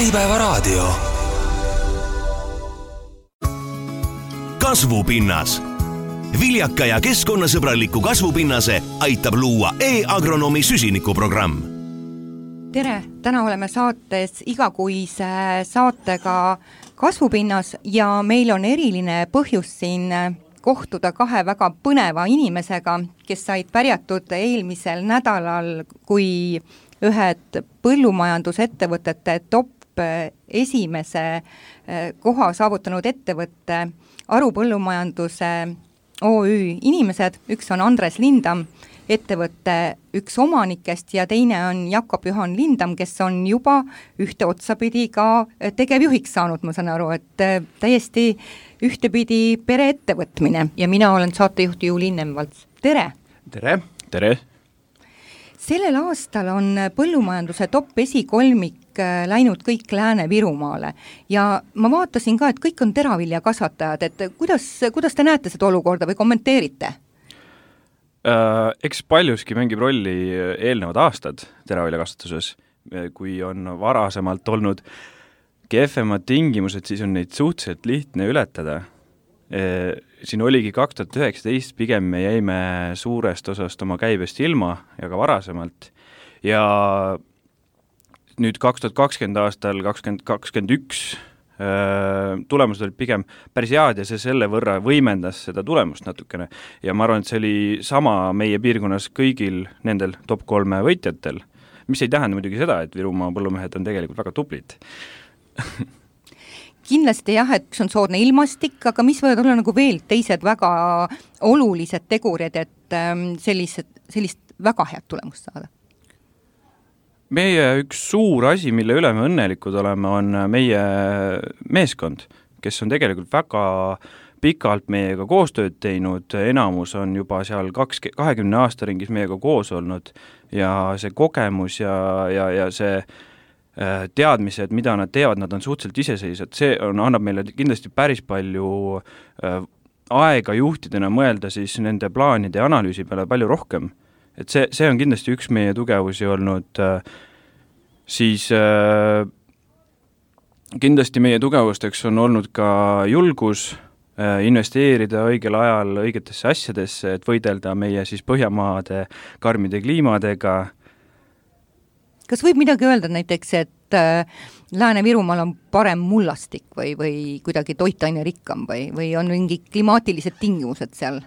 Äripäevaraadio. Kasvupinnas. Viljaka ja keskkonnasõbraliku kasvupinnase aitab luua e-agronomi süsinikuprogramm. Tere, täna oleme saates igakuise saatega Kasvupinnas ja meil on eriline põhjus siin kohtuda kahe väga põneva inimesega, kes said pärjatud eelmisel nädalal, kui ühed põllumajandusettevõtete top esimese koha saavutanud ettevõtte Aru põllumajanduse OÜ inimesed. Üks on Andres Lindam, ettevõtte üks omanikest ja teine on Jakob-Johan Lindam, kes on juba ühte otsapidi ka tegevjuhiks saanud, ma saan aru, et täiesti ühtepidi pereettevõtmine ja mina olen saatejuht Juuli Nemvalts. Tere! Tere! Tere! Sellel aastal on põllumajanduse top esikolmik läinud kõik Lääne-Virumaale ja ma vaatasin ka, et kõik on teraviljakasvatajad, et kuidas te näete seda olukorda või kommenteerite? Eks paljuski mängib rolli eelnevad aastad teraviljakasvatuses, kui on varasemalt olnud kehvemad tingimused, siis on neid suhteliselt lihtne ületada. Siin oligi 2019, pigem me jäime suurest osast oma käibest ilma ja ka varasemalt ja nüüd 2020 aastal, 2021 tulemused olid pigem päris head ja see selle võrra võimendas seda tulemust natukene ja ma arvan, et see oli sama meie piirkonnas kõigil nendel top 3 võitjatel, mis ei tähenda muidugi seda, et Virumaa põllumehed on tegelikult väga tublid. Kindlasti jah, et on soodne ilmastik, aga mis võivad olla nagu veel teised väga olulised tegurid, et sellist väga head tulemust saada? Meie üks suur asi, mille üle me õnnelikud oleme, on meie meeskond, kes on tegelikult väga pikalt meiega koostööd teinud, enamus on juba seal 20 aasta ringis meiega koos olnud ja see kogemus ja see teadmised, mida nad teevad, nad on suhteliselt iseseisvad, see annab meile kindlasti päris palju aega juhtidena mõelda siis nende plaanide ja analüüsi peale palju rohkem. Et see on kindlasti üks meie tugevusi olnud, siis kindlasti meie tugevusteks on olnud ka julgus investeerida õigel ajal õigetesse asjadesse, et võidelda meie siis Põhjamaade karmide kliimadega. Kas võib midagi öelda näiteks, et Lääne-Virumaal on parem mullastik või kuidagi toitaine rikkam või on mingi klimaatilised tingimused seal?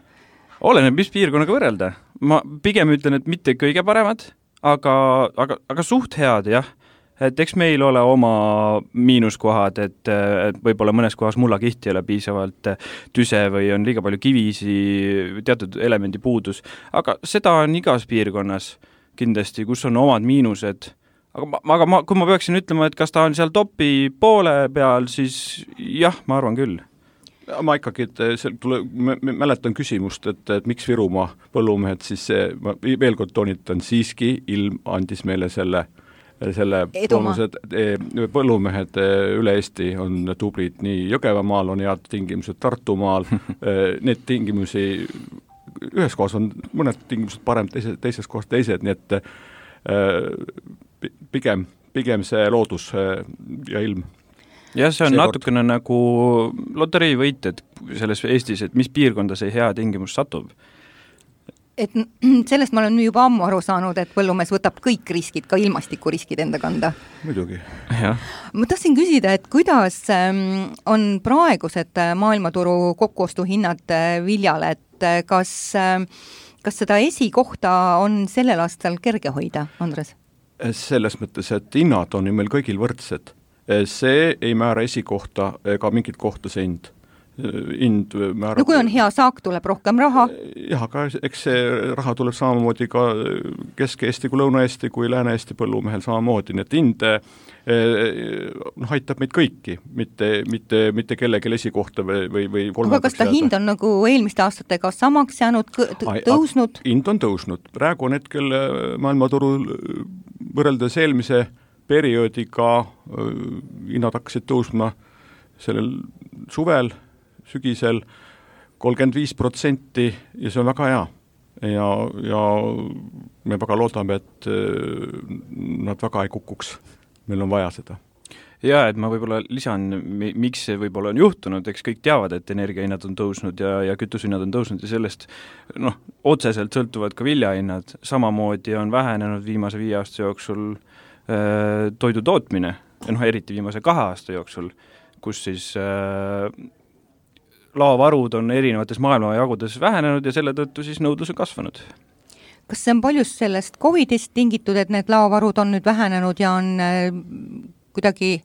Oleneb, mis piirkonnaga võrrelda. Ma pigem ütlen, et mitte kõige paremad, aga suht head, jah. Et eks meil ole oma miinuskohad, et võib-olla mõnes kohas mullakihti ei ole piisavalt tüse või on liiga palju kivisi, teatud elemendi puudus, aga seda on igas piirkonnas kindlasti, kus on omad miinused. Aga kui ma peaksin ütlema, et kas ta on seal topi poole peal, siis jah, ma arvan küll. Ma ikkagi, mäletan küsimust, et miks Virumaa põllumehed, siis ma veel kord toonitan, siiski ilm andis meile selle bonused, põllumehed üle Eesti on tublid, nii Jõgevamaal on head tingimused, Tartumaal, need tingimusi ühes kohas on mõned tingimused parem, teises kohas teised, nii et pigem see loodus ja ilm. Ja see on natukene nagu loteriivõited selles Eestis, et mis piirkonda see hea tingimus satub. Et sellest ma olen juba ammu aru saanud, et põllumees võtab kõik riskid, ka ilmastikuriskid enda kanda. Muidugi. Ja. Ma tahtsin küsida, et kuidas on praegused maailmaturu kokkuostuhinnad viljale, et kas seda esikohta on sellel aastal kerge hoida, Andres? Selles mõttes, et hinnad on ju meil kõigil võrdsed. See ei määra esikohta ega mingit kohta see hind. No kui on hea saak, tuleb rohkem raha. Jah, aga eks see raha tuleb samamoodi ka Kesk-Eesti kui Lõuna-Eesti kui Lääne-Eesti põllumehel samamoodi, nii et hind aitab meid kõiki, mitte kellegi esikohta või kolmandaks. Aga kas ta hind on nagu eelmiste aastatega samaks jäänud, tõusnud? Hind on tõusnud. Praegu on hetkel maailmaturul võrreldes eelmise perioodiga hinnad hakkasid tõusma sellel suvel, sügisel 35% ja see on väga hea. Ja me väga loodame, et nad väga ei kukuks. Meil on vaja seda. Jaa, et ma võib-olla lisan, miks see võib-olla on juhtunud, eks kõik teavad, et energiahinnad on tõusnud ja kütusehinnad on tõusnud ja sellest otseselt sõltuvad ka viljahinnad, samamoodi on vähenenud viimase 5 aasta jooksul toidu tootmine, eriti viimase 2 aasta jooksul, kus siis laovarud on erinevates maailmajagudes vähenenud ja selle tõttu siis nõudlus on kasvanud. Kas see on paljust sellest Covidist tingitud, et need laovarud on nüüd vähenenud ja on kuidagi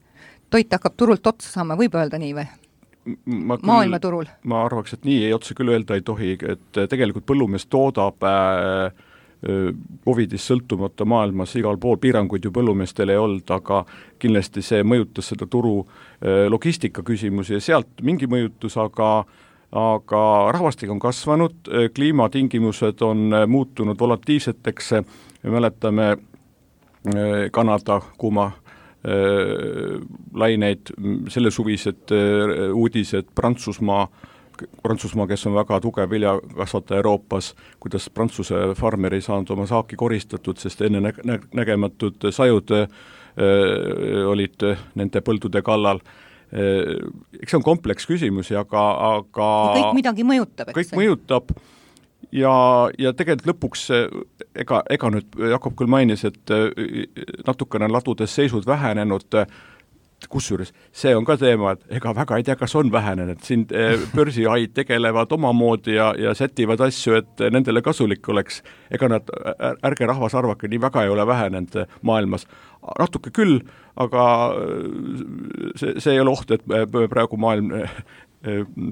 toit hakkab turult otsa saama, võib öelda nii või? Maailmaturul? Ma arvaks, et nii otse küll öelda ei tohi, et tegelikult põllumees toodab Covidist sõltumata maailmas igal pool, piiranguid ju põllumeestel ei olnud, aga kindlasti see mõjutas seda turu logistika küsimusi ja sealt mingi mõjutus, aga rahvastik on kasvanud, kliimatingimused on muutunud volatiivseteks, me mäletame Kanada kuuma laineid, selle suvised uudised Prantsusmaa, kes on väga tugev viljakasvataja Euroopas, kuidas Prantsuse farmer ei saanud oma saaki koristatud, sest enne nägematud sajud olid nende põldude kallal. Eks see on kompleks küsimusi, aga kõik midagi mõjutab, kõik mõjutab ja tegelikult lõpuks ega nüüd Jakob küll mainis, et natukene ladudes seisud vähenenud, kusjuures see on ka teema, et ega väga ei tea, kas on vähenenud, siin börsihaid tegelevad omamoodi ja sätivad asju, et nendele kasulik oleks, ega nad, ärge rahvas arvake, nii väga ei ole vähenenud maailmas, natuke küll, aga see ei ole oht, et praegu maailm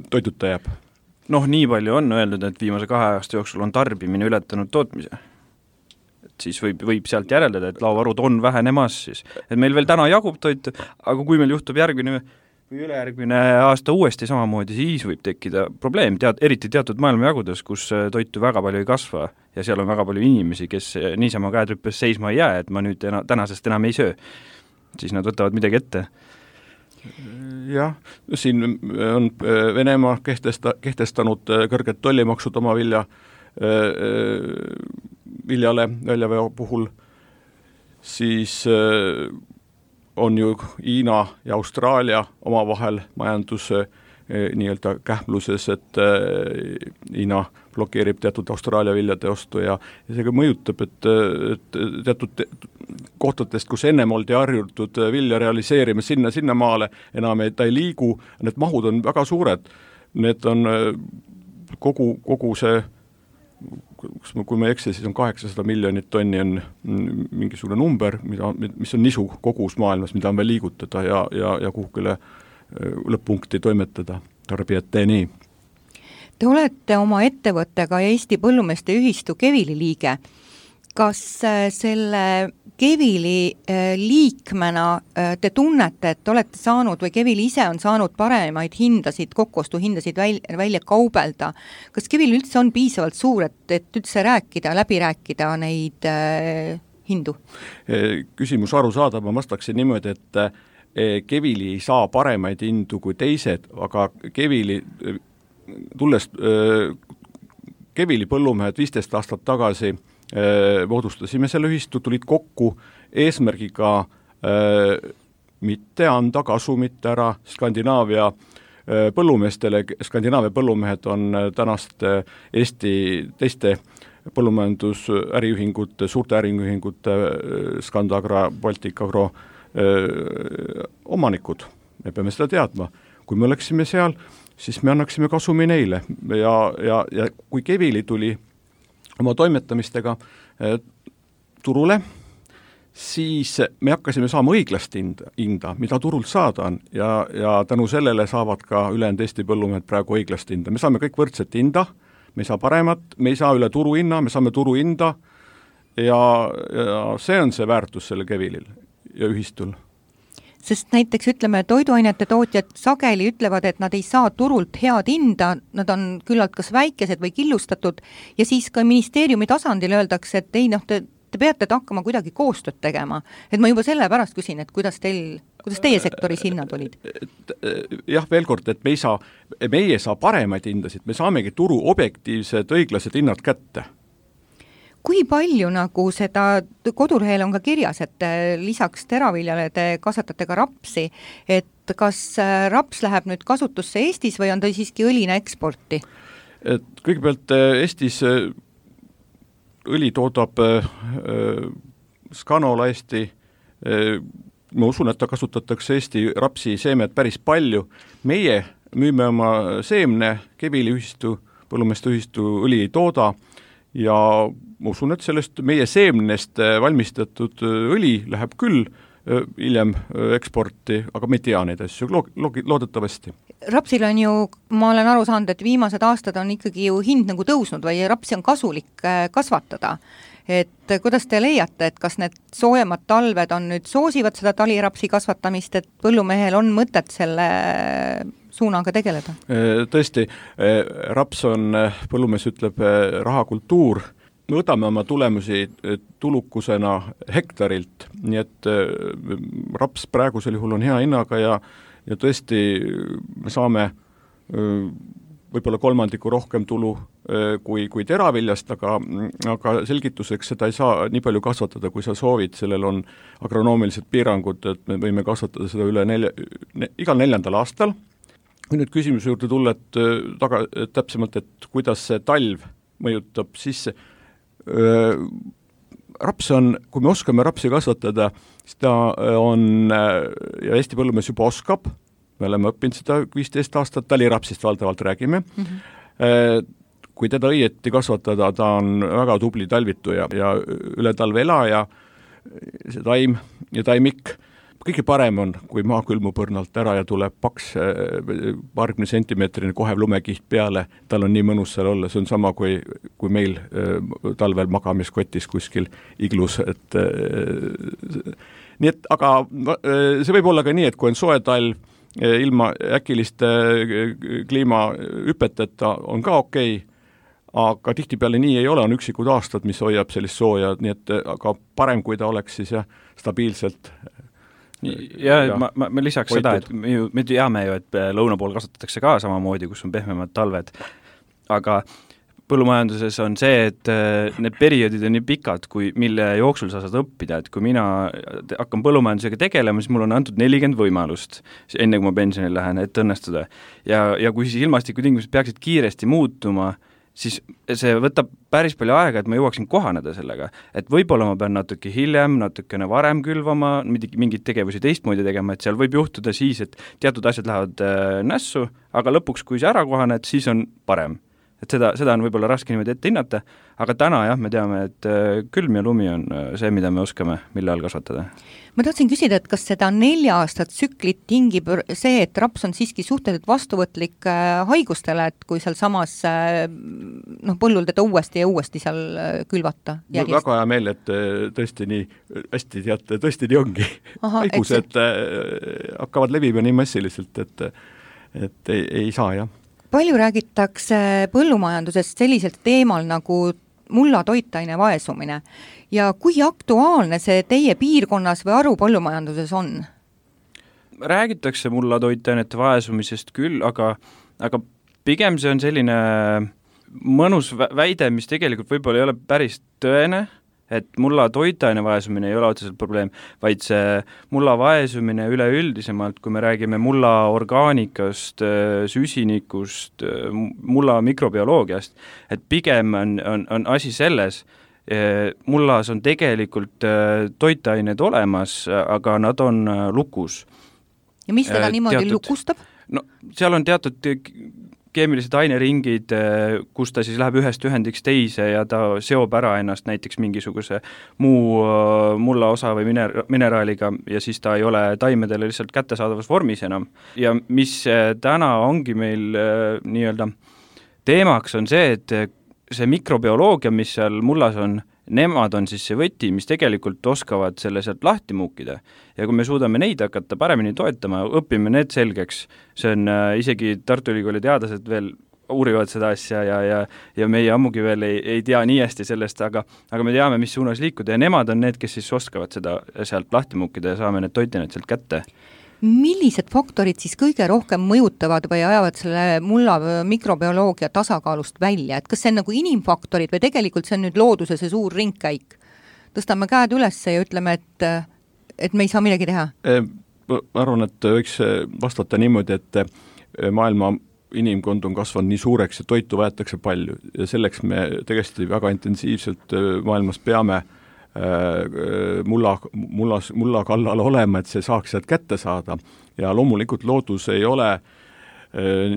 toiduta jääb. Nii palju on öeldud, et viimase 2 aasta jooksul on tarbimine ületanud tootmise. Et siis võib sealt järeldada, et laovarud on vähenemas siis. Et meil veel täna jagub toitu, aga kui meil juhtub järgmine või ülejärgmine aasta uuesti samamoodi, siis võib tekkida probleem, eriti teatud maailmajagudes, kus toitu väga palju ei kasva ja seal on väga palju inimesi, kes niisama käed rüppes seisma ei jää, et ma nüüd tänasest enam ei söö. Siis nad võtavad midagi ette. Jah, siin on Venemaa kehtestanud kõrged tollimaksud oma viljale väljaveo puhul, siis on ju Hiina ja Austraalia omavahel majanduse nii-öelda kähmluses, et Hiina blokeerib teatud Austraalia viljade ostu ja see ka mõjutab, et teatud kohtadest, kus ennem oldi harjutud vilja realiseerima sinna maale, enam ta ei liigu, need mahud on väga suured, need on kogu see, kui ma ei eksi, siis on 800 miljonit tonni on mingisugune number, mis on nisu kogus maailmas, mida on veel liigutada ja kuhugile lõpp-punkti toimetada tarbijateni. Te olete oma ettevõttega Eesti Põllumeeste Ühistu Kevili liige. Kas selle Kevili liikmena te tunnete, et olete saanud või Kevili ise on saanud paremaid hindasid, kokkuostuhindasid välja kaubelda? Kas Kevil üldse on piisavalt suur, et üldse läbi rääkida neid hindu? Küsimus arusaadav, ma vastaksin niimoodi, et Kevili ei saa paremaid hindu kui teised, aga Kevili põllumehed 15 aastat tagasi moodustasime selle ühistu, tulid kokku eesmärgiga mitte anda kasumit ära Skandinaavia põllumeestele. Skandinaavia põllumehed on tänast Eesti teiste põllumajandusäriühingute, suurte äriühingute, Scandagra, Baltic Agro omanikud. Me peame seda teadma. Kui me oleksime seal, siis me annaksime kasumi neile ja kui Kevili tuli oma toimetamistega turule, siis me hakkasime saama õiglast hinda, mida turult saada on ja tänu sellele saavad ka ülejäänud Eesti põllumehed praegu õiglast hinda. Me saame kõik võrdset hinda, me ei saa paremat, me ei saa üle turuhinna, me saame turuhinda ja see on see väärtus selle Kevilil ja ühistul. Sest näiteks ütleme, toiduainete tootjad sageli ütlevad, et nad ei saa turult head hinda, nad on küllalt kas väikesed või killustatud ja siis ka ministeeriumi tasandil öeldakse, et ei, te peate hakkama kuidagi koostööd tegema. Et ma juba selle pärast küsin, et kuidas teie sektoris hinnad olid? Jah, veel kord, et meie saa paremaid hindasid, me saamegi turu objektiivsed õiglased hinnad kätte. Kui palju nagu seda, kodulehel on ka kirjas, et lisaks teraviljale te kasvatate ka rapsi, et kas raps läheb nüüd kasutusse Eestis või on ta siiski õlina eksporti? Et kõigepealt Eestis õli toodab Scanola Eesti, ma usun, et ta kasutatakse Eesti rapsi seemed päris palju. Meie müüme oma seemne, Kevili ühistu, põllumeeste ühistu õli ei tooda ja ma usun, et sellest meie seemnest valmistatud õli läheb küll hiljem eksporti, aga me ei tea neid asju, loodetavasti. Rapsil on ju, ma olen aru saanud, et viimased aastad on ikkagi ju hind nagu tõusnud või rapsi on kasulik kasvatada. Et kuidas te leiate, et kas need soojemad talved on nüüd soosivad seda talirapsi kasvatamist, et põllumehel on mõtet selle suunaga tegeleda? Tõesti, raps on, põllumees ütleb, rahakultuur. Me võtame oma tulemusi tulukusena hektarilt, nii et raps praegusel juhul on hea hinnaga ja tõesti me saame võib-olla kolmandiku rohkem tulu kui teraviljast, aga selgituseks seda ei saa nii palju kasvatada, kui sa soovid, sellel on agronoomilised piirangud, et me võime kasvatada seda igal 4. aastal. Kui nüüd küsimuse juurde tulla, et täpsemalt, et kuidas see talv mõjutab, siis raps on, kui me oskame rapsi kasvatada, siis ta on, ja Eesti põllumees juba oskab, me oleme õppinud seda 15 aastat, talirapsist valdavalt räägime, kui teda õieti kasvatada, ta on väga tubli talvituja ja üle talve elaja, see taim ja taimik. Kõige parem on, kui maa külmub õrnalt ära ja tuleb paks paarkümne sentimeetrine kohev lumekiht peale, tal on nii mõnus seal olla, see on sama kui meil talvel magamiskotis kuskil iglus, nii et, aga see võib olla ka nii, et kui on soe talv, ilma äkiliste kliimahüpeteta on ka okei, aga tihtipeale nii ei ole, on üksikud aastad, mis hoiab sellist sooja, nii et aga parem, kui ta oleks siis stabiilselt me lisaks hoitud. Seda, et me teame ju, et lõuna pool kasutatakse ka samamoodi, kus on pehmemad talved, aga põllumajanduses on see, et need perioodid on nii pikad, mille jooksul sa saad õppida, et kui mina hakkan põllumajandusega tegelema, siis mul on antud 40 võimalust, enne kui ma pensionil lähen, et õnnestuda. Ja kui siis ilmastikutingimused peaksid kiiresti muutuma, siis see võtab päris palju aega, et ma jõuaksin kohaneda sellega. Et võib-olla ma pean natuke hiljem, natukene varem külvama, mingid tegevusi teistmoodi tegema, et seal võib juhtuda siis, et teatud asjad lähevad nässu, aga lõpuks, kui see ära kohaned, siis on parem. Et seda on võib-olla raske niimoodi ette hinnata, aga täna jah, me teame, et külm ja lumi on see, mida me oskame, mille all kasvatada. Ma tahtsin küsida, et kas seda 4 aastat tsüklit tingib see, et raps on siiski suhteliselt vastuvõtlik haigustele, et kui seal samas põllul teda uuesti ja uuesti seal külvata? Mul väga hea meel, et tõesti nii hästi teate, tõesti nii ongi. Haigused hakkavad levima nii massiliselt, et ei saa, jah. Palju räägitakse põllumajandusest selliselt teemal nagu mulla toitaine vaesumine ja kui aktuaalne see teie piirkonnas või Aru põllumajanduses on? Räägitakse mulla toitainete vaesumisest küll, aga pigem see on selline mõnus väide, mis tegelikult võib-olla ei ole päris tõene, et mulla toitaine vaesumine ei ole otseselt probleem, vaid see mulla vaesumine üleüldisemalt, kui me räägime mulla orgaanikast, süsinikust, mulla mikrobioloogiast, et pigem on asi selles, mullas on tegelikult toitained olemas, aga nad on lukus. Ja mis teda niimoodi lukustab? No, seal on teatud keemilised aineringid, kus ta siis läheb ühest ühendiks teise ja ta seob ära ennast näiteks mingisuguse muu mulla osa või mineraaliga ja siis ta ei ole taimedele lihtsalt kättesaadavas vormis enam. Ja mis täna ongi meil nii-öelda teemaks on see, et see mikrobioloogia, mis seal mullas on, nemad on siis see võti, mis tegelikult oskavad selle sealt lahti muukida. Ja kui me suudame neid hakata paremini toetama, õpime need selgeks, see on isegi Tartu Ülikooli teadlased veel uurivad seda asja ja meie ammugi veel ei tea nii hästi sellest, aga me teame, mis suunas liikuda ja nemad on need, kes siis oskavad seda sealt lahti muukida ja saame need toitinad sealt kätte. millised faktorid siis kõige rohkem mõjutavad või ajavad selle mulla mikrobioloogia tasakaalust välja, et kas see on nagu inimfaktorid või tegelikult see on nüüd looduse see suur ringkäik? Tõstame käed üles ja ütleme, et me ei saa midagi teha? Ma arvan, et võiks vastata niimoodi, et maailma inimkond on kasvanud nii suureks ja toitu vajatakse palju ja selleks me tegelikult väga intensiivselt maailmas peame mulla kallal olema, et see saaks sealt kätte saada ja loomulikult loodus ei ole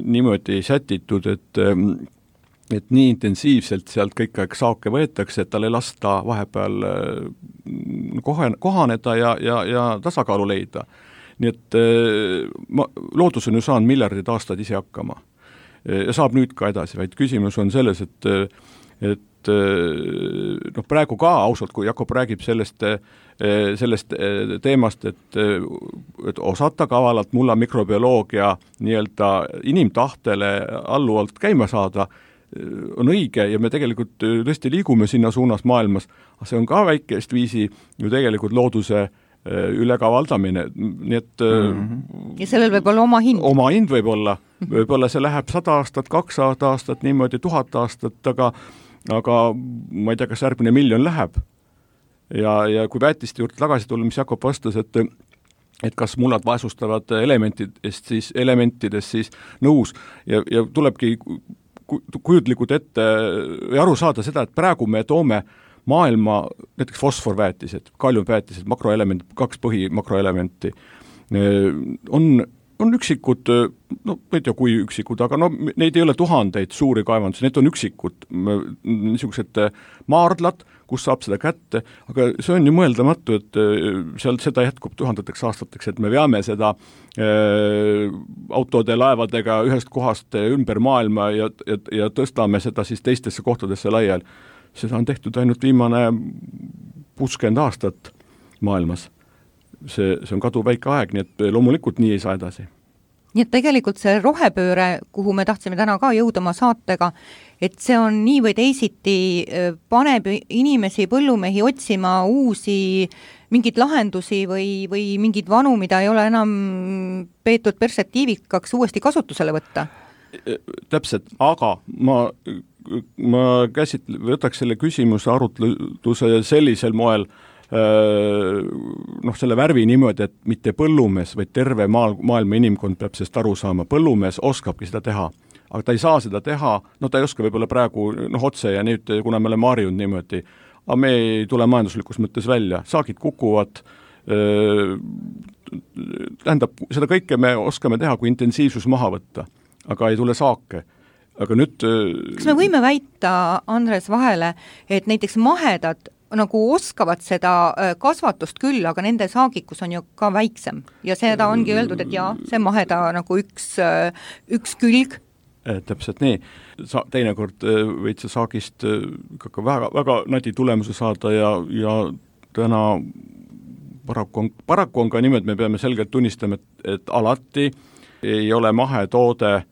niimoodi sätitud, et nii intensiivselt sealt kõik aeg saake võetakse, et tal ei lasta vahepeal kohaneda ja tasakaalu leida. Nii et loodus on ju saanud miljardid aastad ise hakkama ja saab nüüd ka edasi, vaid küsimus on selles, et praegu ka ausalt, kui Jakob räägib sellest teemast, et osata kavalalt mulla mikrobioloogia nii-öelda inimtahtele alluvalt käima saada, on õige ja me tegelikult tõesti liigume sinna suunas maailmas, aga see on ka väikest viisi ju tegelikult looduse ülekavaldamine, nii et ja sellel võib olla oma hind. Oma hind võib-olla see läheb 100 aastat, 200 aastat, niimoodi 1000 aastat, aga ma ei tea, kas järgmine miljon läheb. Ja kui väetiste juurde tagasi tulla, mis Jakob vastas, et kas mullad vaesustavad elementidest siis nõus ja tulebki kujutlikud ette ja aru saada seda, et praegu me toome maailma näiteks fosforväetised, kaliumväetised, makroelemendid, 2 põhimakroelementi on üksikud, no ma ei tea kui üksikud, aga no neid ei ole tuhandeid suuri kaevandusi, need on üksikud niisugused maardlad, kus saab seda kätte, aga see on ju mõeldamatu, et sealt seda jätkub tuhandeteks aastateks, et me veame seda autode, laevadega ühest kohast ümber maailma ja tõstame seda siis teistesse kohtadesse laiali. Seda on tehtud ainult viimane 60 aastat maailmas. See on kaduväike aeg, nii et loomulikult nii ei saa edasi. Nii et tegelikult see rohepööre, kuhu me tahtsime täna ka jõuda oma saatega, et see on nii või teisiti, paneb inimesi, põllumehi otsima uusi mingeid lahendusi või mingeid vanu, mida ei ole enam peetud perspektiivikaks uuesti kasutusele võtta. Täpselt, aga ma võtaks selle küsimuse arutluse sellisel moel, selle värvi niimoodi, et mitte põllumees, vaid terve maailma inimkond peab sellest aru saama. Põllumees oskabki seda teha, aga ta ei saa seda teha, ta ei oska võib-olla praegu otse ja nüüd, kuna me oleme harjunud niimoodi, aga me ei tule majanduslikus mõttes välja, saagid kukuvad, tähendab, seda kõike me oskame teha, kui intensiivsus maha võtta, aga ei tule saake. Aga nüüd kas me võime väita, Andres, vahele, et näiteks mahedad nagu oskavad seda kasvatust küll, aga nende saagikus on ju ka väiksem ja seda ongi öeldud, et jaa, see maheda nagu üks külg. Täpselt nii. Teinekord võid sa saagist väga, väga nadi tulemuse saada ja täna paraku on ka niimoodi, me peame selgelt tunnistama, et alati ei ole mahetoode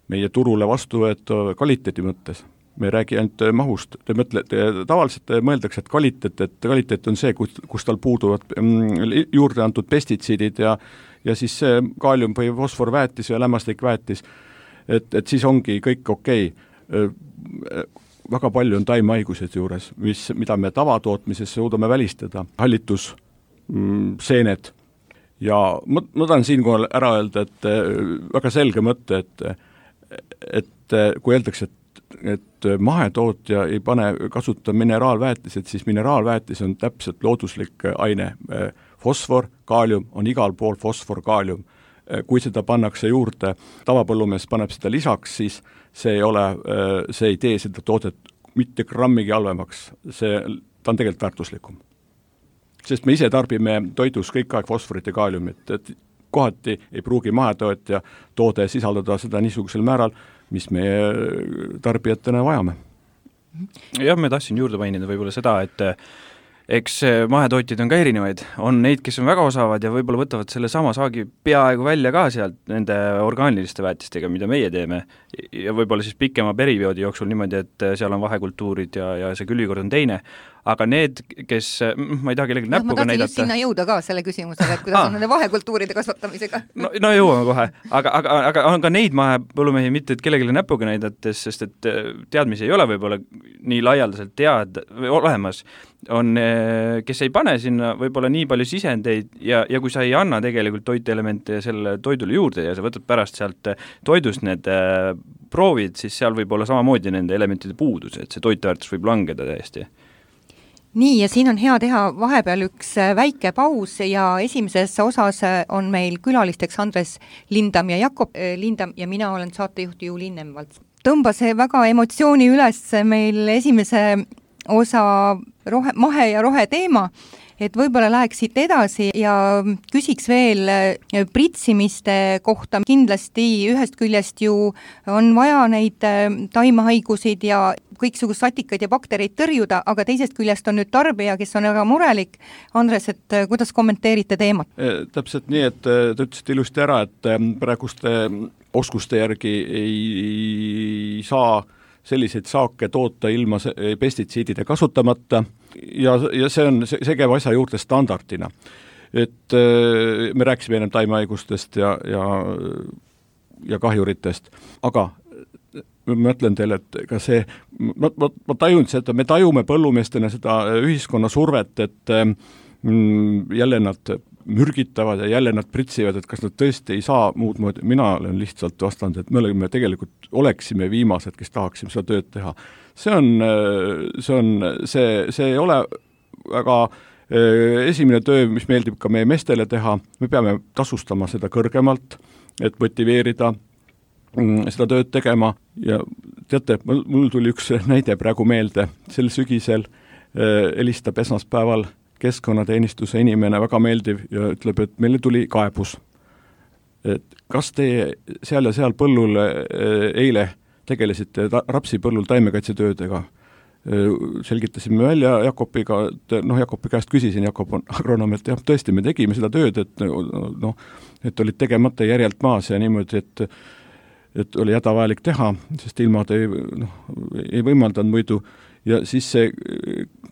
meie turule vastuvõetav kvaliteedi mõttes. Me ei räägi ainult mahust. Tavaliselt mõeldakse, et kvaliteet on see, kus tal puuduvad juurde antud pestitsiidid ja siis see kaalium või fosforväetis ja lämmastikväetis, et siis ongi kõik okei. Väga palju on taimehaigused juures, mida me tavatootmises suudame välistada. Hallitus, seened ja ma tahan siinkohal ära öelda, et väga selge mõte, et kui öeldakse, et mahetootja ei kasuta mineraalväetised, siis mineraalväetis on täpselt looduslik aine. Fosfor, kaalium on igal pool fosfor, kaalium. Kui seda pannakse juurde, tavapõllumees paneb seda lisaks, siis see ei tee seda toodet mitte grammigi halvemaks. Ta on tegelikult väärtuslikum. Sest me ise tarbime toidus kõik aeg fosforit ja kaaliumit, et kohati ei pruugi mahetootja toode sisaldada seda niisugusel määral, mis me tarbijatena vajame. Jah, me tahtsin juurde mainida võib-olla seda, et eks mahetootjad on ka erinevaid, on neid, kes on väga osavad ja võib-olla võtavad selle sama saagi peaaegu välja ka sealt nende orgaaniliste väetistega, mida meie teeme ja võib-olla siis pikema perioodi jooksul niimoodi, et seal on vahekultuurid ja see külvikord on teine, aga need, kes, ma ei taha kellegi näpuga näidata. Ma tahtsin just sinna jõuda ka selle küsimusega, et kuidas on nende vahekultuuride kasvatamisega. No jõuame kohe, aga on ka neid mahepõllumehi mitte, et kellelegi näpuga näidates, sest et teadmisi ei ole võib-olla nii laialdaselt olemas, on, kes ei pane sinna võib-olla nii palju sisendeid ja kui sa ei anna tegelikult toitelemente selle toidule juurde ja sa võtad pärast sealt toidust need proovid, siis seal võib olla samamoodi nende elementide puudus, et see toiteväärtus võib langeda täiesti. Nii, ja siin on hea teha vahepeal üks väike paus ja esimeses osas on meil külalisteks Andres Lindam ja Jakob Lindam ja mina olen saatejuht Juliin Nemvalts. Tõmbas väga emotsiooni üles meil esimese osa mahe ja rohe teema, et võib-olla läheks siit edasi ja küsiks veel pritsimiste kohta. Kindlasti ühest küljest ju on vaja neid taimehaigusid ja kõiksugust satikaid ja baktereid tõrjuda, aga teisest küljest on nüüd tarbija, kes on väga murelik. Andres, et kuidas kommenteerite teemat? Täpselt nii, et te ütlesite ilusti ära, et praeguste oskuste järgi ei saa selliseid saake toota ilma pestitsiidide kasutamata ja see käib asja juurde standardina. Et me rääkisime ennem taimehaigustest ja kahjuritest, aga ma ütlen teile, et ka see, ma tajun seda, me tajume põllumeestena seda ühiskonna survet, et jälle nad mürgitavad ja jälle nad pritsivad, et kas nad tõesti ei saa muud moodi. Mina olen lihtsalt vastanud, et me tegelikult oleksime viimased, kes tahaksime seda tööd teha. See ei ole väga esimene töö, mis meeldib ka meie meestele teha. Me peame tasustama seda kõrgemalt, et motiveerida seda tööd tegema ja teate, mul tuli üks näide praegu meelde. Sel sügisel helistab esmaspäeval keskkonnateenistuse inimene, väga meeldiv ja ütleb, et meile tuli kaebus. Et kas te seal ja seal põllul eile tegelesite rapsipõllul taimekaitsetöödega? Selgitasime välja Jakobiga, Jakobi käest küsisin, Jakob on agronoom, et jah, tõesti, me tegime seda tööd, et olid tegemata järjelt maas ja niimoodi, et oli hädavajalik teha, sest ilmad ei võimaldanud muidu. Ja siis see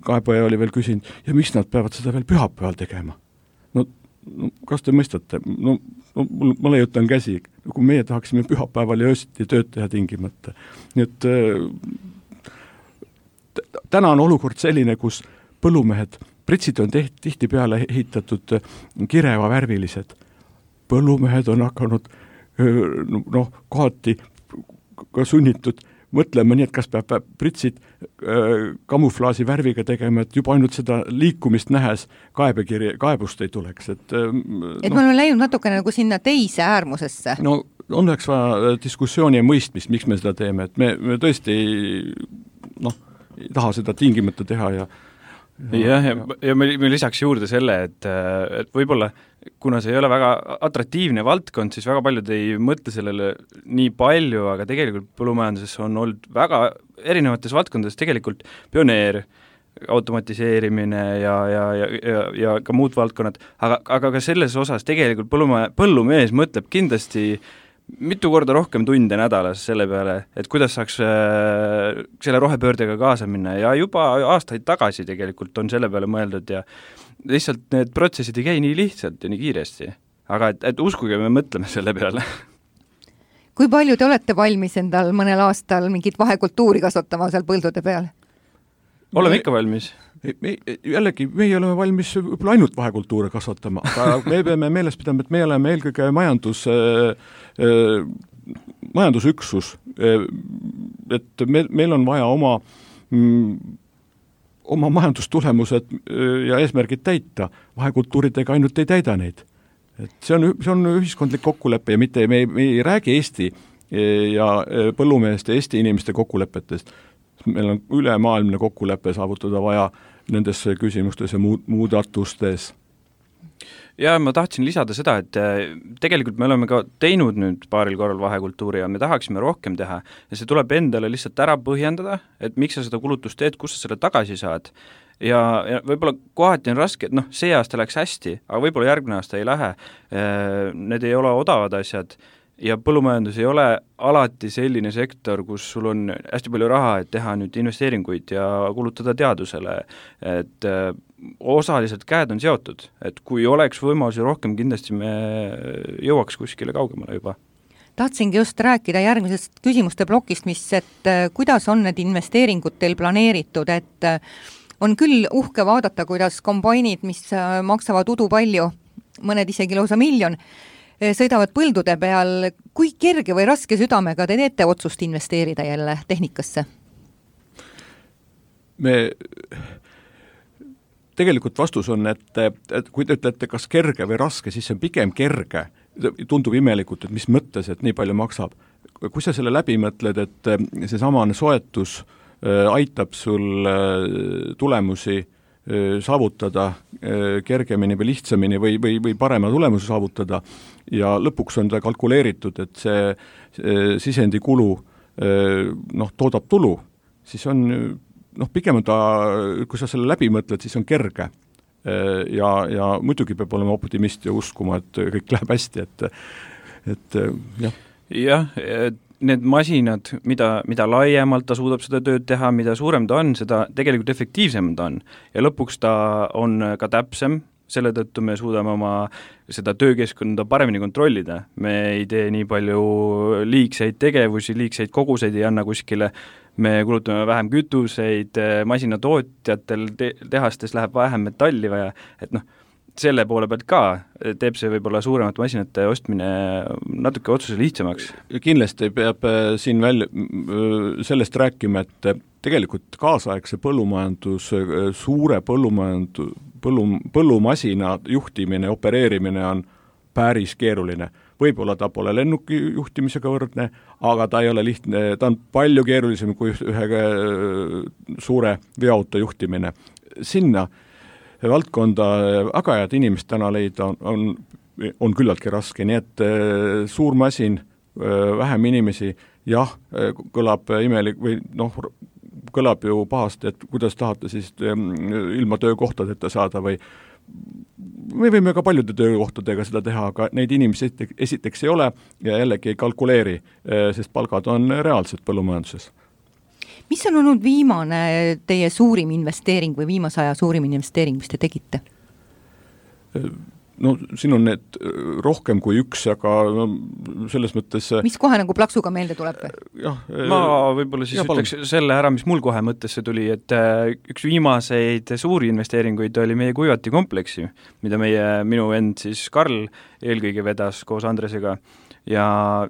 kaebaja oli veel küsinud, ja miks nad peavad seda veel pühapäeval tegema? No kas te mõistate? Ma leiutan käsi, kui meie tahaksime pühapäeval ja öösiti tööd teha tingimata. Nii et täna on olukord selline, kus põllumehed, pritsid on tihti peale ehitatud kireva värvilised. Põllumehed on hakanud kohati ka sunnitud mõtlema nii, et kas peab pritsid kamuflaasi värviga tegema, et juba ainult seda liikumist nähes kaebust ei tuleks. Et me oleme läinud natukene nagu sinna teise äärmusesse. No on üheks vaja diskussiooni ja mõistmist, miks me seda teeme, et me tõesti ei taha seda tingimata teha ja me lisaks juurde selle, et võib-olla kuna see ei ole väga atraktiivne valdkond, siis väga paljud ei mõtle sellele nii palju, aga tegelikult põllumajanduses on olnud väga erinevates valdkondades tegelikult pioneer, automatiseerimine ja ka muud valdkonnad, aga ka selles osas tegelikult põllumees mõtleb kindlasti mitu korda rohkem tunde nädalas selle peale, et kuidas saaks selle rohepöördega kaasa minna ja juba aastaid tagasi tegelikult on selle peale mõeldud ja lihtsalt need protsessid ei käi nii lihtsalt ja nii kiiresti. Aga et uskuge, me mõtleme selle peale. Kui palju te olete valmis endal mõnel aastal mingit vahekultuuri kasvatama seal põldude peal? Oleme ikka valmis. Jällegi, meie oleme valmis võib-olla ainult vahekultuure kasvatama, aga me peame meeles pidama, et me oleme eelkõige majandusüksus, et meil on vaja oma majandustulemused ja eesmärgid täita, vahekultuuridega ainult ei täida neid. Et see on ühiskondlik kokkulepe ja mitte me ei räägi Eesti ja põllumeeste, Eesti inimeste kokkulepetest. Meil on ülemaailmne kokkulepe saavutada vaja nendes küsimustes ja muudatustes. Ja ma tahtsin lisada seda, et tegelikult me oleme ka teinud nüüd paaril korral vahekultuuri ja me tahaksime rohkem teha ja see tuleb endale lihtsalt ära põhjendada, et miks sa seda kulutust teed, kus sa selle tagasi saad. Ja võib-olla kohati on raske, et see aasta läks hästi, aga võib-olla järgmine aasta ei lähe, need ei ole odavad asjad ja põllumajandus ei ole alati selline sektor, kus sul on hästi palju raha, et teha nüüd investeeringuid ja kulutada teadusele, et osaliselt käed on seotud, et kui oleks võimalusi rohkem, kindlasti me jõuaks kuskile kaugemale juba. Tahtsingi just rääkida järgmisest küsimuste plokist, et kuidas on need investeeringud teil planeeritud, et on küll uhke vaadata, kuidas kombainid, mis maksavad udu palju, mõned isegi lausa miljon, sõidavad põldude peal. Kui kerge või raske südamega te teete otsust investeerida jälle tehnikasse? Tegelikult vastus on, et kui te ütlete, kas kerge või raske, siis see on pigem kerge. Tundub imelikult, et mis mõttes, et nii palju maksab. Kui sa selle läbi mõtled, et see samane soetus aitab sul tulemusi saavutada kergemini või lihtsamini või parema tulemuse saavutada ja lõpuks on ta kalkuleeritud, et see sisendi kulu toodab tulu, siis on pigem ta, kui sa selle läbi mõtled, siis on kerge ja muidugi peab olema optimist ja uskuma, et kõik läheb hästi, et jah. Jah, need masinad, mida laiemalt ta suudab seda tööd teha, mida suurem ta on, seda tegelikult efektiivsem ta on. Ja lõpuks ta on ka täpsem, selle tõttu me suudame oma seda töökeskkonda paremini kontrollida. Me ei tee nii palju liigseid tegevusi, liigseid koguseid ei anna kuskile, me kulutame vähem kütuseid, masinatootjatel tehastes läheb vähem metalli vaja, et selle poole pealt ka teeb see võib-olla suuremate masinate ostmine natuke otsuse lihtsamaks. Kindlasti peab siin sellest rääkima, et tegelikult kaasaegse põllumajandus, suure põllumasina juhtimine, opereerimine on päris keeruline. Võib-olla ta pole lennuki juhtimisega võrdne, aga ta ei ole lihtne, ta on palju keerulisem kui ühe suure veoauto juhtimine. Sinna valdkonda väga head inimest täna leida on küllaltki raske, nii et suur masin, vähem inimesi, jah, kõlab imelik või kõlab ju pahasti, et kuidas tahate siis ilma töökohtadeta saada või me võime ka paljude töökohtadega seda teha, aga neid inimesi esiteks ei ole ja jällegi ei kalkuleeri, sest palgad on reaalsed põllumajanduses. Mis on olnud viimane teie suurim investeering või viimase aja suurim investeering, mis te tegite? Siin on need rohkem kui üks, aga selles mõttes... Mis kohe nagu plaksuga meelde tuleb? Ma võib-olla siis ütleks selle ära, mis mul kohe mõttesse tuli, et üks viimaseid suuri investeeringuid oli meie kuivati kompleksi, mida minu vend siis Karl eelkõige vedas koos Andresega ja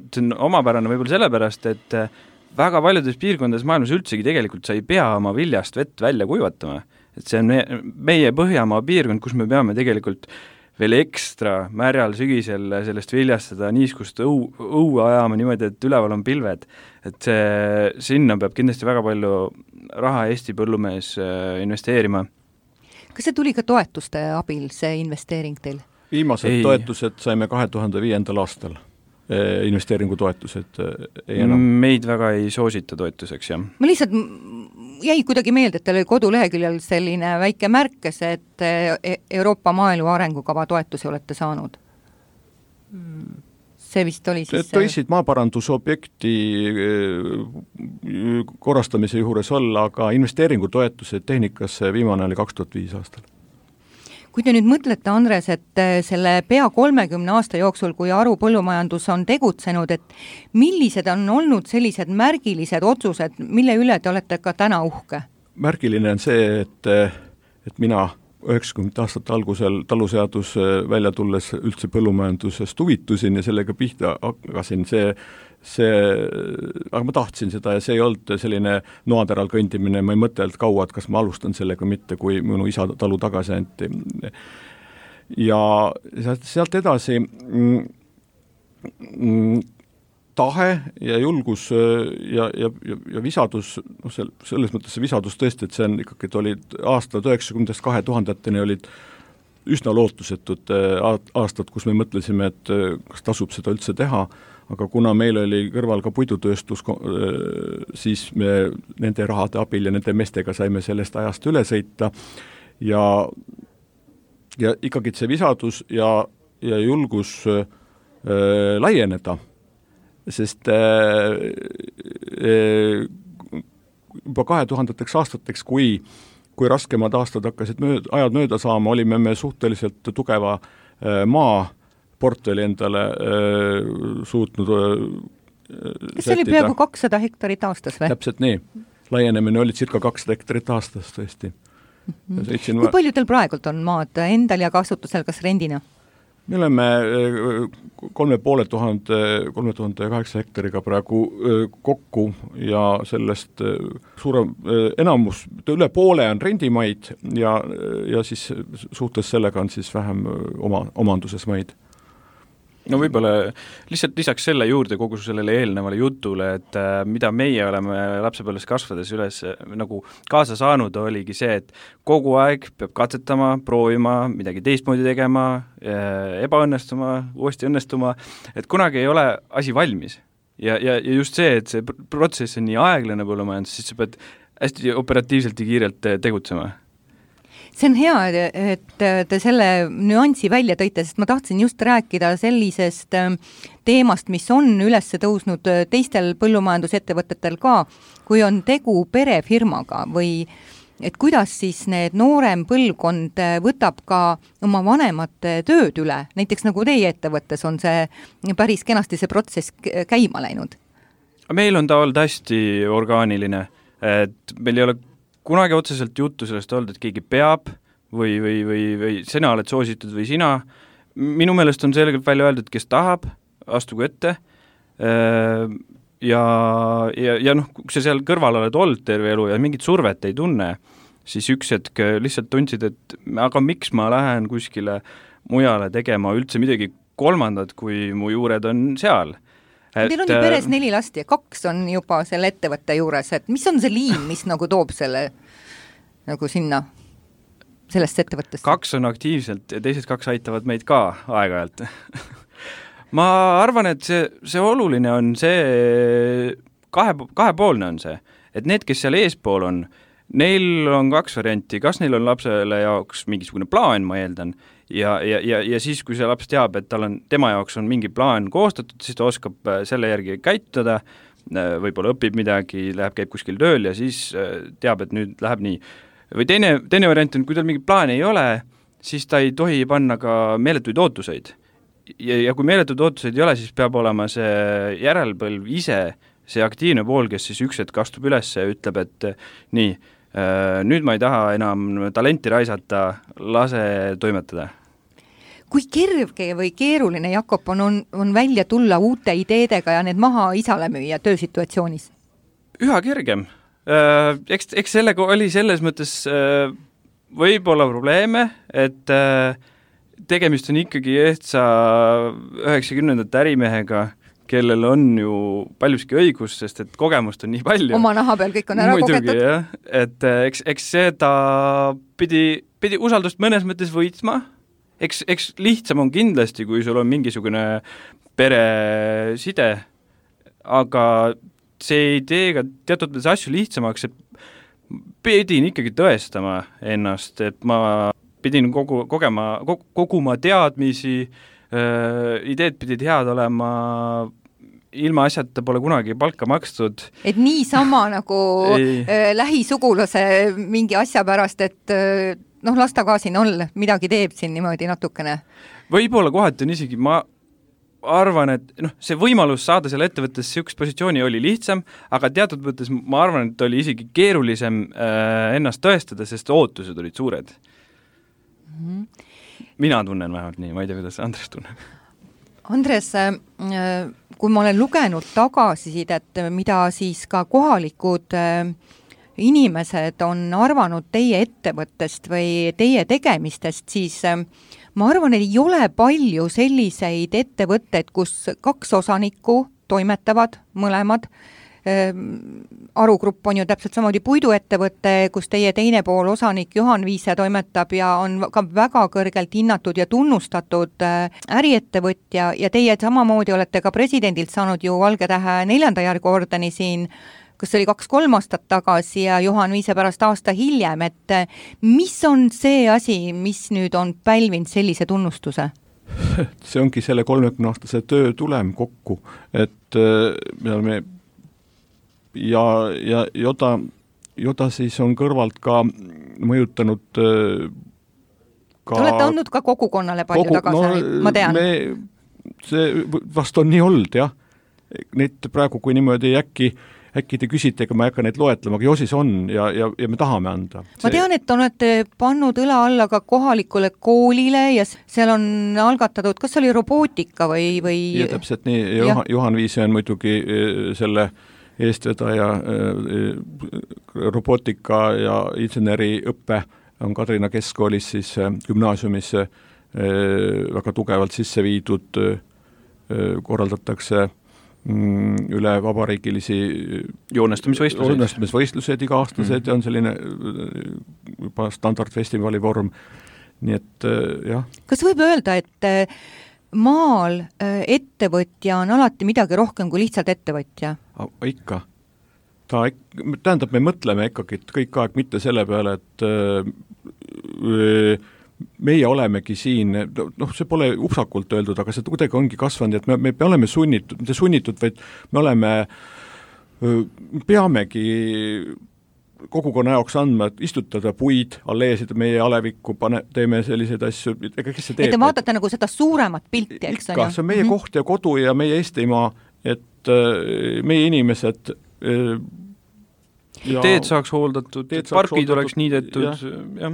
see on omapärane võib-olla sellepärast, et väga paljudes piirkondades maailmas üldsegi tegelikult sa ei pea oma viljast vett välja kuivatama. Et see on meie Põhjamaa piirkond, kus me peame tegelikult veel ekstra märjal sügisel sellest viljast seda niiskust õue ajama niimoodi, et üleval on pilved. Et sinna peab kindlasti väga palju raha Eesti põllumees investeerima. Kas see tuli ka toetuste abil, see investeering teil? Viimased toetused saime 2005. aastal. Investeeringutoetused ei enam. Meid väga ei soosita toetuseks, jah. Ma lihtsalt jäi kuidagi meelde, et teil oli koduleheküljel selline väike märkes, et Euroopa maaelu arengukava toetusi olete saanud. See vist oli siis... Tõisid maaparandusobjekti korrastamise juures olla, aga investeeringutoetused tehnikasse viimane oli 2005 aastal. Kui te nüüd mõtlete, Andres, et selle pea 30 aasta jooksul, kui Aru põllumajandus on tegutsenud, et millised on olnud sellised märgilised otsused, mille üle te olete ka täna uhke? Märgiline on see, et mina 90 aastate algusel taluseadus välja tulles üldse põllumajandusest huvitusin ja sellega pihta hakkasin, aga ma tahtsin seda ja see ei olnud selline noateral kõndimine, ma ei mõtelnud kaua, et kas ma alustan sellega mitte, kui minu isa talu tagasi anti. Ja sealt edasi tahe ja julgus ja visadus, selles mõttes see visadus tõesti, et see on ikkagi, et olid aastad 90-2000-teni olid üsna lootusetud aastad, kus me mõtlesime, et kas tasub seda üldse teha, aga kuna meil oli kõrval ka puidutööstus, siis me nende rahade abil ja nende meestega saime sellest ajast üle sõita ja ikkagi see visadus ja julgus laieneda sest juba 2000 aastateks, kui raskemad aastad hakkasid ajad mööda saama, olime me suhteliselt tugeva maaportfeli endale suutnud kas see oli peaaegu 200 hektarit aastas või? Täpselt nii. Laienemine oli circa 200 hektarit aastas tõesti. Kui palju teil praegult on maad endal ja kasutusel, kas rendina? Me oleme 3800 hektariga praegu kokku ja sellest suurem enamus, üle poole on rendimaid ja siis suhtes sellega on siis vähem omanduses maid. No võib-olla lihtsalt lisaks selle juurde kogu sellele eelnevale jutule, et mida meie oleme lapsepõlves kasvades üles nagu kaasa saanud, oligi see, et kogu aeg peab katsetama, proovima, midagi teistmoodi tegema, ebaõnnestuma, uuesti õnnestuma, et kunagi ei ole asi valmis. Ja just see, et see protsess on nii aeglane põllumajandus, siis sa pead hästi operatiivselt ja kiirelt tegutsema. See on hea, et te selle nüansi välja tõite, sest ma tahtsin just rääkida sellisest teemast, mis on üles tõusnud teistel põllumajandusettevõtetel ka, kui on tegu perefirmaga või et kuidas siis need noorem põlvkond võtab ka oma vanemate tööd üle, näiteks nagu teie ettevõttes on see päris kenasti see protsess käima läinud. Meil on ta olnud hästi orgaaniline, et meil ei ole kunagi otseselt juttu sellest olnud, et keegi peab või sina oled soositud või sina. Minu meelest on selgelt välja öeldud, kes tahab, astugu ette. Ja kui sa seal kõrval oled olnud terve elu ja mingit survet ei tunne, siis üks hetk lihtsalt tundsid, et aga miks ma lähen kuskile mujale tegema üldse midagi kolmandat, kui mu juured on seal. Teil on ju peres 4 last ja 2 on juba selle ettevõtte juures, et mis on see liim, mis nagu toob selle nagu sinna, sellest ettevõttest? 2 on aktiivselt ja teised 2 aitavad meid ka aeg-ajalt. Ma arvan, et see oluline on see, kahepoolne on see, et need, kes seal eespool on, neil on 2 varianti, kas neil on lapsele jaoks mingisugune plaan, ma eeldan, ja siis, kui see laps teab, et tema jaoks on mingi plaan koostatud, siis ta oskab selle järgi käituda, võib-olla õpib midagi, käib kuskil tööl ja siis teab, et nüüd läheb nii. Või teine variant on, kui tal mingi plaan ei ole, siis ta ei tohi panna ka meeletuid ootuseid. Ja kui meeletuid ootuseid ei ole, siis peab olema see järelpõlv ise, see aktiivne pool, kes siis üks hetk astub üles ja ütleb, et nii, nüüd ma ei taha enam talenti raisata, lase toimetada. Kui kerge või keeruline, Jakob, on välja tulla uute ideedega ja need maha isale müüa töösituatsioonis? Üha kergem. Eks sellega oli selles mõttes võib-olla probleeme, et tegemist on ikkagi ehtsa 90ndate ärimehega, kellel on ju paljuski õigus, sest et kogemust on nii palju. Oma naha peal kõik on ära kogetud. Jah. Et eks seda pidi usaldust mõnes mõttes võitma. Eks lihtsam on kindlasti, kui sul on mingisugune pereside, aga see ei tee ka teatud asju lihtsamaks, et pidin ikkagi tõestama ennast, et ma pidin koguma teadmisi, ideed pidid head olema, ilma asjata pole kunagi palka makstud. Et niisama nagu lähisugulase mingi asja pärast, et las ta ka siin olla, midagi teeb siin niimoodi natukene. Võib-olla kohati on isegi, ma arvan, et see võimalus saada selle ettevõttes üks positsiooni oli lihtsam, aga teatud mõttes ma arvan, et oli isegi keerulisem ennast tõestada, sest ootused olid suured. Mina tunnen vähemalt nii, ma ei tea, kuidas Andres tunneb. Andres, kui ma olen lugenud tagasisidet, mida siis ka kohalikud inimesed on arvanud teie ettevõttest või teie tegemistest, siis ma arvan, et ei ole palju selliseid ettevõtteid, kus 2 osanikku toimetavad mõlemad. Arugrupp on ju täpselt samamoodi puiduettevõte, kus teie teine pool osanik Juhan Viise toimetab ja on ka väga kõrgelt hinnatud ja tunnustatud äriettevõtja ja teie samamoodi olete ka presidendilt saanud ju Valge Tähe 4. järguordeni siin, kas oli 2-3 aastat tagasi ja Juhan Viise pärast aasta hiljem, et mis on see asi, mis nüüd on pälvinud sellise tunnustuse? see ongi selle 30-aastase töö tulem kokku, et me oleme ja Joda siis on kõrvalt ka mõjutanud Te olete andnud ka kogukonnale palju tagasi, ma tean. See vast on nii olnud, jah. Neid praegu, kui niimoodi äkki te küsite, ega ma ei hakka neid loetlema, aga Josis on ja me tahame anda. Ma tean, et olete pannud õla alla ka kohalikule koolile ja seal on algatatud, kas oli robootika või... Ja täpselt nii, Juhan Viise on muidugi selle eestvedaja robootika ja inseneriõppe on Kadrina keskkoolis siis gümnaasiumis väga tugevalt sisse viidud, korraldatakse üle vabariigilisi joonestamisvõistlused iga-aastased ja on selline juba standardfestivali vorm, nii et jah. Kas võib öelda, et maal ettevõtja on alati midagi rohkem kui lihtsalt ettevõtja? Ikka. Tähendab, me mõtleme ikkagi kõik aeg mitte selle peale, et meie olemegi siin, see pole upsakult öeldud, aga see kuidagi ongi kasvanud, et me oleme sunnitud, vaid me peamegi kogukonna jaoks andma, et istutada puid, alleesid meie alevikku, teeme selliseid asju, ega kes see teeb? Et te vaatate nagu seda suuremat pilti, eks on? See on meie koht ja kodu ja meie Eestimaa, et meie inimesed teed saaks hooldatud, pargid oleks niidetud. Ja.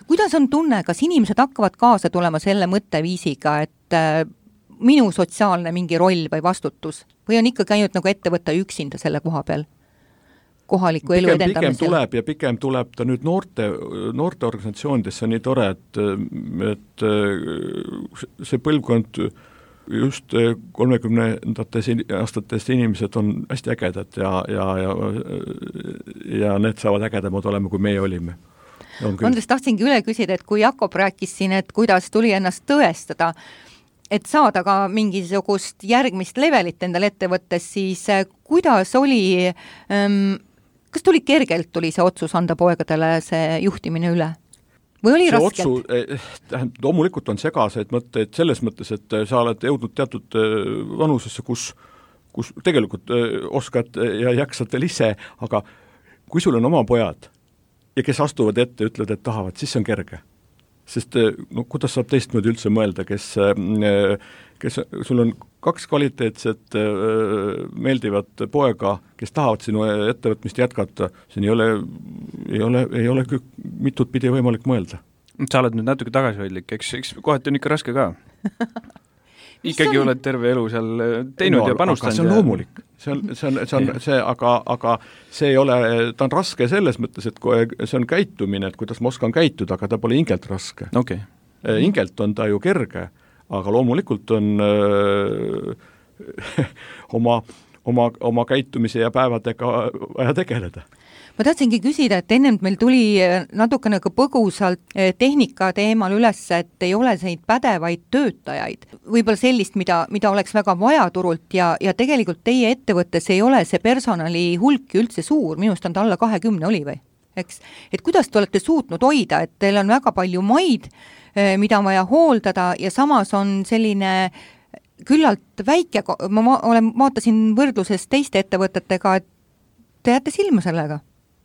Kuidas on tunne, kas inimesed hakkavad kaasa tulema selle mõtteviisiga, et minu sotsiaalne mingi roll või vastutus või on ikka käinud nagu ettevõtta üksinda selle koha peal? Kohaliku elu edendamisel. Pigem tuleb ta nüüd noorte organisatsioonidesse on nii tore, et see põlvkond just 30-ndates aastatest inimesed on hästi ägedad ja need saavad ägedamad olema, kui meie olime. Andres, tahtsingi üle küsida, et kui Jakob rääkis siin, et kuidas tuli ennast tõestada, et saada ka mingisugust järgmist levelit endal ettevõttes, siis kuidas oli, kas tuli kergelt tuli see otsus anda poegadele see juhtimine üle? Või oli raskelt? Loomulikult on segaseid mõtteid selles mõttes, et sa oled jõudnud teatud vanusesse, kus tegelikult oskad ja jaksad veel ise, aga kui sul on oma pojad ja kes astuvad ette, ütlevad, et tahavad, siis see on kerge. Sest kuidas saab teistmoodi üldse mõelda, kes sul on 2 kvaliteetset meeldivat poega, kes tahavad sinu ettevõtmist jätkata, siin ei ole mitut pidi võimalik mõelda. Sa oled nüüd natuke tagasihoidlik, eks kohati on ikka raske ka. Ikkagi oled terve elu seal teinud ja panustanud. See on loomulik. Aga see ei ole, ta on raske selles mõttes, et see on käitumine, et kuidas ma oskan käituda, aga ta pole ingelt raske. Okay. Ingelt on ta ju kerge, aga loomulikult on oma käitumise ja päevadega vaja tegeleda. Ma tahtsingi küsida, et ennem meil tuli natuke nagu põgusalt tehnika teemal üles, et ei ole neid pädevaid töötajaid. Võib-olla sellist, mida oleks väga vaja turult ja tegelikult teie ettevõttes ei ole see personali hulk üldse suur, minust on ta alla 20 oli või? Eks? Et kuidas te olete suutnud hoida, et teil on väga palju maid, mida on vaja hooldada ja samas on selline küllalt väike, ma vaatasin võrdluses teiste ettevõtetega, et te jääte silma sellega,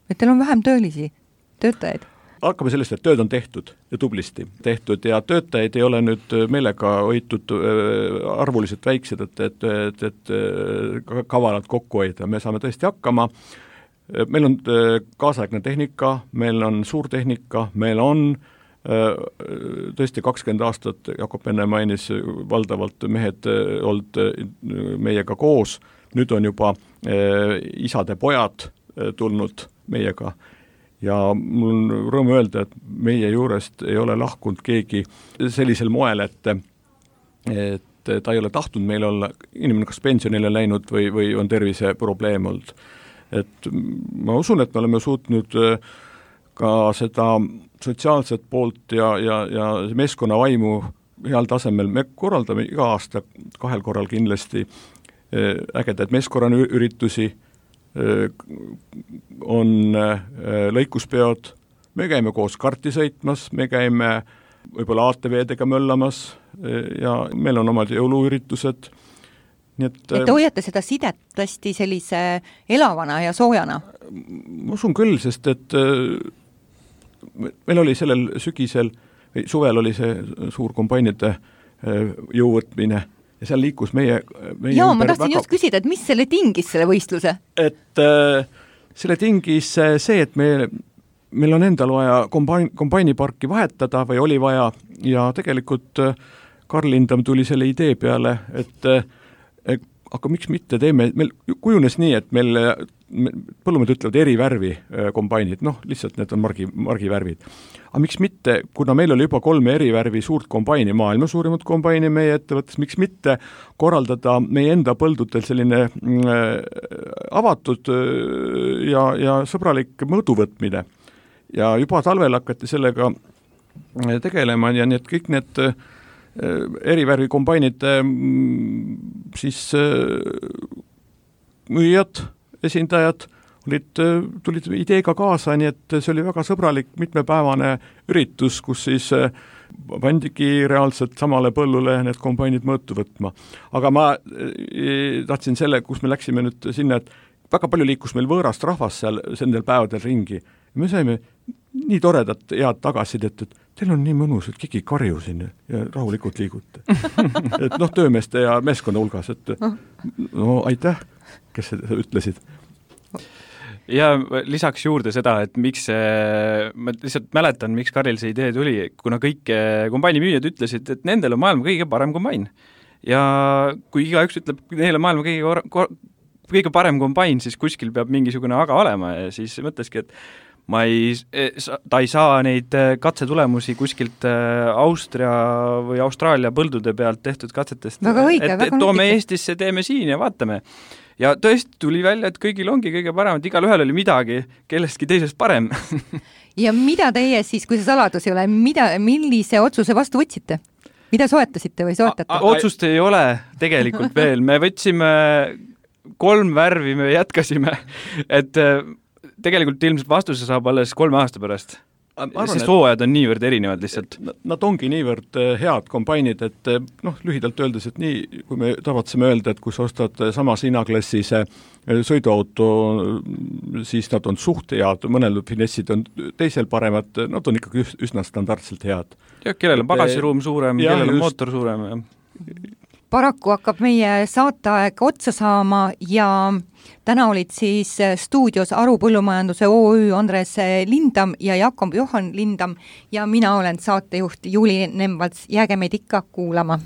et teil on vähem töötajaid. Hakkame sellest, et tööd on tehtud ja tublisti tehtud ja töötajaid ei ole nüüd meelega hoitud arvuliselt väiksed, et kavalalt kokku hoida. Me saame tõesti hakkama. Meil on kaasaegne tehnika, meil on suurtehnika, meil on tõesti 20 aastat, Jakob enne mainis, valdavalt mehed olnud meiega koos, nüüd on juba isade pojad tulnud meiega ja mul on rõõm öelda, et meie juurest ei ole lahkunud keegi sellisel moel, et ta ei ole tahtnud meil olla, inimene kas pensionile läinud või on tervise probleem olnud. Et ma usun, et me oleme suutnud ka seda sotsiaalset poolt ja meeskonna vaimu heal tasemel. Me korraldame iga aasta 2 korral kindlasti ägedaid meeskonnaüritusi, on lõikuspeod, me käime koos karti sõitmas, me käime võib-olla ATV-dega möllamas ja meil on omad jõuluüritused. Nii et te hoiate seda sidet tõesti sellise elavana ja soojana? Ma usun küll, sest et meil oli sellel sügisel või suvel oli see suur kombainide jõuvõtmine ja seal liikus meie ma tahtsin just küsida, et mis selle tingis, selle võistluse? Et selle tingis see, et meil on endal vaja kombainiparki vahetada või oli vaja ja tegelikult Karl Lindam tuli selle idee peale, et aga miks mitte teeme, meil kujunes nii, et meil põllumehed ütlevad eri värvi kombainid, lihtsalt need on margivärvid. Aga miks mitte, kuna meil oli juba 3 eri värvi suurt kombaini, maailma suurimat kombaini meie ettevõttes, miks mitte korraldada meie enda põldudel selline avatud ja sõbralik mõõduvõtmine. Ja juba talvel hakati sellega tegelema ja need kõik need erivärvi kombainid siis müüjad, esindajad tulid ideega kaasa, nii et see oli väga sõbralik mitmepäevane üritus, kus siis pandigi reaalselt samale põllule need kombainid mõõtu võtma. Aga ma tahtsin selle, kus me läksime nüüd sinna, et väga palju liikus meil võõrast rahvast seal nendel päevadel ringi. Me saime nii toredat head tagasidet, et teil on nii mõnus, et keegi karju siin ja rahulikult liigute. Et töömeeste ja meeskonna hulgas, et aitäh, kes seda ütlesid. Ja lisaks juurde seda, et miks ma lihtsalt mäletan, miks Karil see idee tuli, kuna kõik kombainimüüjad ütlesid, et nendel on maailma kõige parem kombain. Ja kui igaüks ütleb, neil on maailma kõige parem kombain, siis kuskil peab mingisugune aga olema ja siis mõtleski, et ta ei saa neid katsetulemusi kuskilt Austria või Austraalia põldude pealt tehtud katsetest. Väga õige, et toome Eestisse, teeme siin ja vaatame. Ja tõesti tuli välja, et kõigil ongi kõige parem, et igal ühel oli midagi, kellestki teisest parem. Ja mida teie siis, kui see saladus ei ole, millise otsuse vastu võtsite? Mida soetasite või soetate? Otsust ei ole tegelikult veel. Me võtsime 3 värvi, me jätkasime, et tegelikult ilmselt vastuse saab alles 3 aasta pärast. Sest hooajad on niivõrd erinevad lihtsalt. Nad ongi niivõrd head kombainid, et lühidalt öeldes, et nii, kui me tavatseme öelda, et kui sa ostad samas hinnaklassis sõiduauto, siis nad on suht head, mõnel finessid on teisel paremad, nad on ikkagi üsna standardselt head. Ja kellel on pagasiruum suurem, kellel on mootor suurem. Ja. Paraku hakkab meie saateaeg otsa saama ja täna olid siis stuudios Aru Põllumajanduse OÜ Andres Lindam ja Jakob Johan Lindam ja mina olen saatejuht Juuli Nemvalts. Jääge meid ikka kuulama.